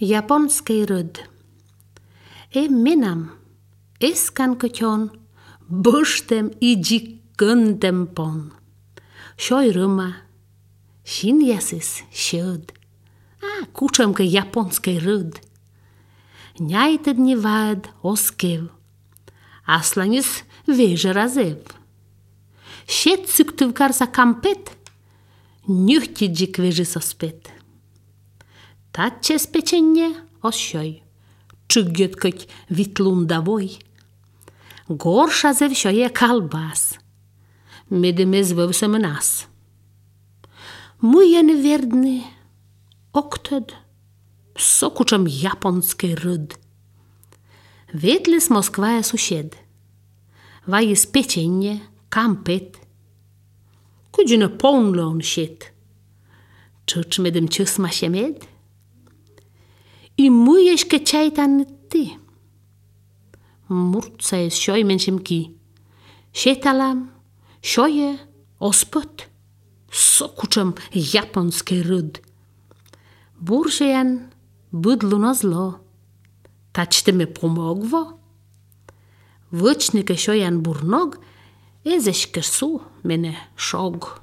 Японский рыд. Э менам, эскан кытён, быштем и джиккындем пон. Шойрыма, шиньясыс щед. А кучемка японский рыд. Няйтед не вад оскев. Асланис веже разев. Щет Сыктывкарса кампет, нюхтиджик вежи соспет. Татчес печенье ощой, чыгеткать витлундавой. Горша зевшое колбас, медемез вовсемынас. Муен вердны, октед, сокучем японский рыд. Ветлис Москвая сусед. Ваис печенье, кампет. Куджина полнлон щет. Чучмедем чусмашемед. И муешке чайтан ты. Мурцаес шойменшемки. Шеталам, шое, оспот. Сокучем японский рыд. Буржеян быдлу на зло. Тачте ме помогво. Вычнике шоян бурног, эзешке су мене шог.